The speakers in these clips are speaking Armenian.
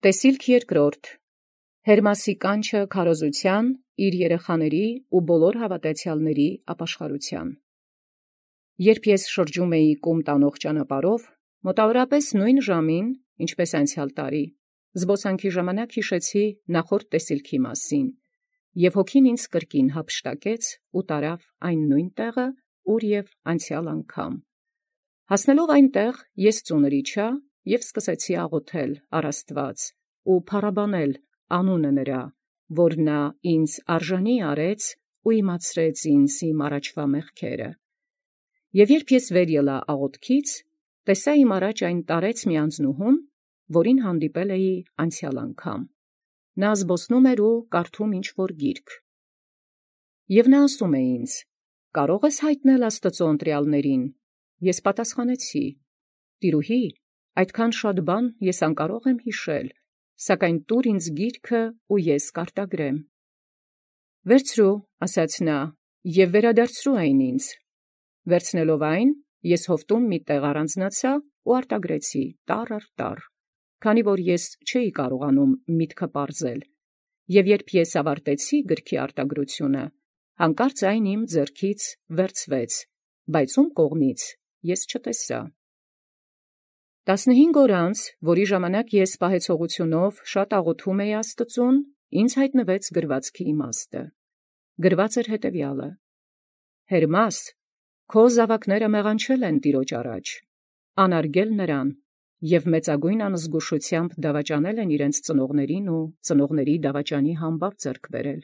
Տեսիլք երկրորդ. Հերմասի կանչը քարոզութեան իր երեխաների ու բոլոր հաւատացեալների ապաշխարութեան։ Երբ ես շրջում էի կում տանող ճանապարհով, մոտավորապես նույն ժամին, ինչպես անցյալ տարի, զբոսանքի ժամանակ յիշեցի նախորդ տեսիլքի մասին, և հոգին ինձ կրկին հափշտակեց ու տարավ այն նույն տեղը, ուր և անցյալ անգամ։ Հասնելով այնտեղ, ես ծունր իջա և սկսեցի աղոթել առ Աստուած ու փառաբանել անունը նրա, որ նա ինձ արժանի արեց ու իմացրեց ինձ իմ առաջվա մեղքերը։ Եւ երբ ես վեր ելա աղոթքից, տեսա իմ առաջ այն տարեց մի անձնուհուն, որին հանդիպել էի անցյալ անգամ։ Նա զբոսնում էր ու կարդում ինչ-որ գիրք։ Եւ նա ասում է ինձ. «Կարո՞ղ ես հայտնել Աստուծո ընտրյալներին»։ Ես պատասխանեցի. «Տիրուհի, այդքան շատ բան ես անկարող եմ յիշել, սակայն տուր ինձ գիրքը ու ես կարտագրեմ»։ «Վերցրու, ասաց նա, և վերադարձրու այն ինձ»։ Վերցնելով այն, ես հովտում մի տեղ առանձնացա ու արտագրեցի տառ առ տառ, քանի որ ես չէի կարողանում միտքը պարզել, և երբ ես ավարտեցի գրքի արտագրությունը, հանկարծ այն իմ ձեռքից վերցվեց, բայց ում կողմից ես չտեսա։ 15 օր անց, որի ժամանակ ես պահեցողութիւնով շատ աղոթում էի Աստուծուն, ինձ հայտնվեց գրվածքի իմաստը։ Գրված էր հետևյալը. «Հերմաս, քո զաւակները մեղանչել են Տիրոջ առաջ, անարգել նրան, և մեծագույն անզգուշութեամբ դավաճանել են իրենց ծնողներին ու ծնողների դավաճանի համբավ ձեռք բերել։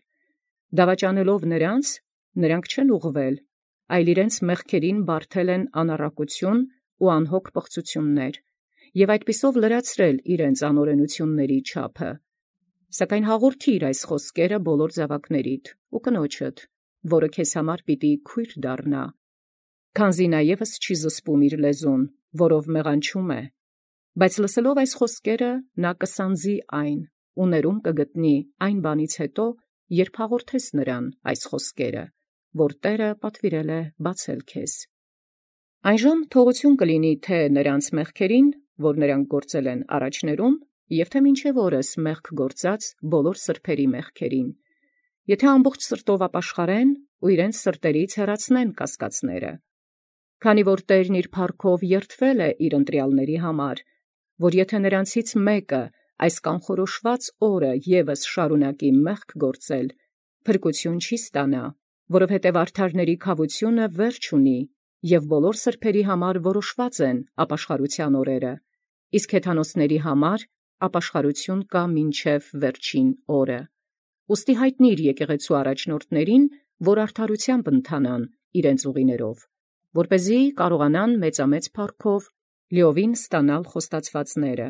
Դավաճանելով նրանց, նրանք չեն ուղղվել, այլ իրենց մեղքերին բարդել են անառակություն ու անհոգ պղծություններ, և այդպիսով լրացրել իրենց անօրենությունների չափը։ Սակայն հաղորդիր այս խոսքերը բոլոր զաւակներիդ ու կնոջդ, որը քեզ համար պիտի քույր դառնա, քանզի նա ևս չի զսպում իր լեզուն, որով մեղանչում է, բայց լսելով այս խոսքերը նա կսանձի այն ու ներում կգտնի այն բանից հետո, երբ հաղորդես նրան այս խոսքերը, որ Տէրը պատվիրել է բացել քեզ։ Այնժամ թողութիւն կլինի թե նրանց մեղքերին, որ նրանք գործել են առաջներում, և թե մինչև օրս մեղք գործած բոլոր սրբերի մեղքերին, եթե ամբողջ սրտով ապաշխարեն ու իրենց սրտերից հեռացնեն կասկածները։ Քանի որ Տէրն իր փառքով երդվել է իր ընտրյալների համար, որ եթե նրանցից մեկը այս կանխորոշված օրը ևս շարունակի մեղք գործել, փրկություն չի ստանա, որովհետև արդարների քավությունը վերջ ունի, և բոլոր սրբերի համար որոշված են ապաշխարութեան օրերը, իսկ հեթանոսների համար ապաշխարություն կա մինչև վերջին օրը։ Ուստի հայտնիր եկեղեցու առաջնորդներին, որ արդարութեամբ ընթանան իրենց ուղիներով, որպեսզի կարողանան մեծամեծ փառքով լիովին ստանալ խոստացվածները։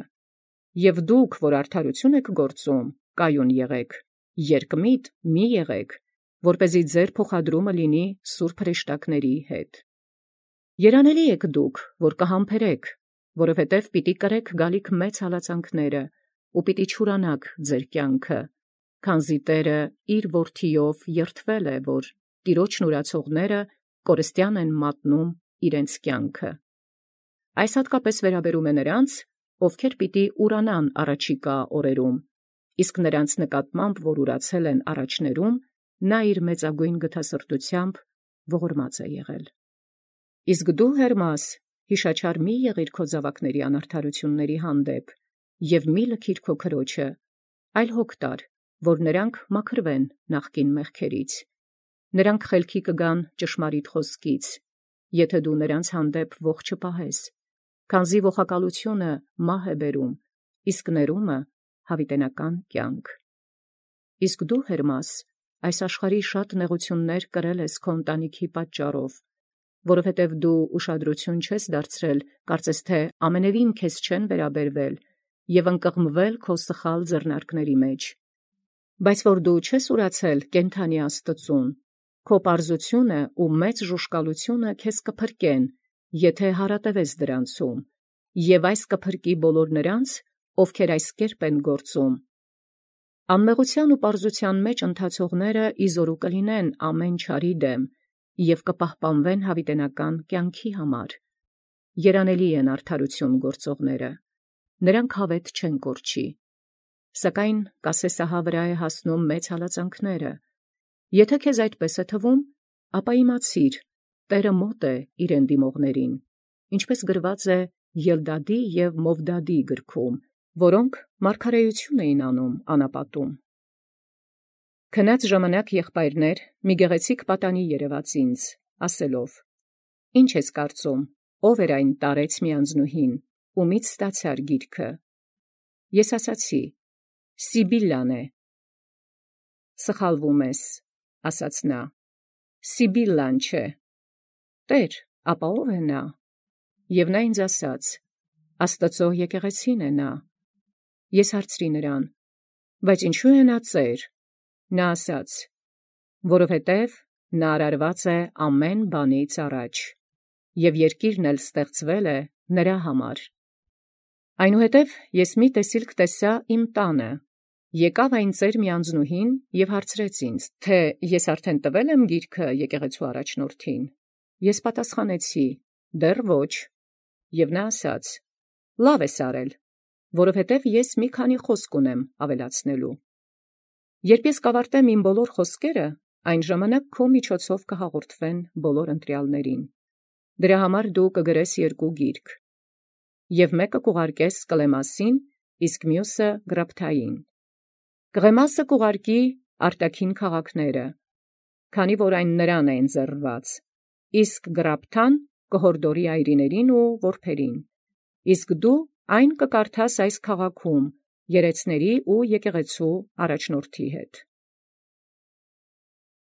Եւ դուք, որ արդարություն եք գործում, կայուն եղեք, երկմիտ մի եղեք, որպեսզի ձեր փոխադրումը լինի սուրբ հրեշտակների հետ։ Երանելի եք դուք, որ կհամբերեք, որովհետև պիտի կրեք գալիք մեծ հալածանքները, ու պիտի չուրանաք ձեր կյանքը, քանզի Տէրը իր որդիով երդվել է, որ Տիրոջն ուրացողները կորստյան են մատնում իրենց կյանքը։ Այս հատկապես վերաբերում է նրանց, ովքեր պիտի ուրանան առաջիկա օրերում, իսկ նրանց նկատմամբ, որ ուրացել են առաջներում, նա իր մեծագույն գթասրտութեամբ ողորմած է եղել։ Իսկ դու, Հերմաս, յիշաչար մի եղիր քո զաւակների անարդարությունների հանդեպ, և մի լքիր քո քրոջը, այլ հոգ տար, որ նրանք մաքրվեն նախկին մեղքերից։ Նրանք խելքի կգան ճշմարիտ խոսքից, եթե դու նրանց հանդեպ ոխ չպահես, քանզի ոխակալությունը մահ է բերում, իսկ ներումը յաւիտենական կյանք։ Իսկ դու, Հերմաս, այս աշխարհի շատ նեղություններ կրել ես քո ընտանիքի պատճառով, որովհետև դու ուշադրություն չես դարձրել, կարծես թե ամենևին քեզ չեն վերաբերվել և ընկղմվել քո սխալ ձեռնարկների մեջ։ Բայց որ դու չես ուրացել կենդանի Աստծուն, քո պարզությունը ու մեծ ժուժկալությունը քեզ կփրկեն, եթե հարատևես դրանցում, և այս կփրկի բոլոր նրանց, ովքեր այս կերպ են գործում։ Անմեղութեան ու պարզութեան մեջ ընթացողները իզորու կլինեն ամեն չարի դեմ և կպահպանվեն յաւիտենական կյանքի համար։ Երանելի են արդարություն գործողները, նրանք հավետ չեն կորչի։ Սակայն կասեսահա վրա է հասնում մեծ հալածանքները։ Եթե քեզ այդպես է թվում, ապա իմացիր, Տերը մոտ է իրեն դիմողներին, ինչպես գրված է Ելդադի և Մովդադի գրքում, որոնք մարգարեություն էին անում անապատում։ Քնած ժամանակ եղբայրներ մի գեղեցիկ պատանի երևաց ինձ, ասելով. «Ինչ ես կարծում, ով էր այն տարեց մի անձնուհին, ումից ստացար գիրքը»։ Ես ասացի. «Սիբիլլան է»։ «Սխալվում ես», ասաց նա, «Սիբիլլան չէ»։ «Տեր, ապա ով է նա»։ Եվ նա ինձ ասաց. «Աստծո եկեղեցին է նա»։ Ես հարցրի նրան. «Բայց ինչու է նա ծեր»։ Նա ասաց. «Որովհետև նա արարված է ամեն բանից առաջ, և երկիրն էլ ստեղծվել է նրա համար»։ Այնուհետև ես մի տեսիլք տեսա իմ տանը. եկավ այն ծեր մի անձնուհին և հարցրեց ինձ, թե ես արդեն տվել եմ գիրքը եկեղեցու առաջնորդին։ Ես պատասխանեցի. դեռ ոչ։ Եվ նա ասաց. լավ ես արել, որովհետև ես մի քանի խոսք ունեմ ավելացնելու։ Երբ ես կավարտեմ իմ բոլոր խոսքերը, այն ժամանակ քո միջոցով կհաղորդվեն բոլոր ընտրյալներին։ Դրա համար դու կգրես 2 գիրք, և մեկը կուղարկես Կլեմասին, իսկ մյուսը Գրապթային։ Կղեմասը կուղարկի արտաքին քաղաքները, քանի որ այն նրան է ընձեռված, իսկ Գրապթան կհորդորի այրիներին ու որբերին, իսկ դու այն կկարդաս այս քաղաքում երեցների ու եկեղեցու առաջնորդի հետ։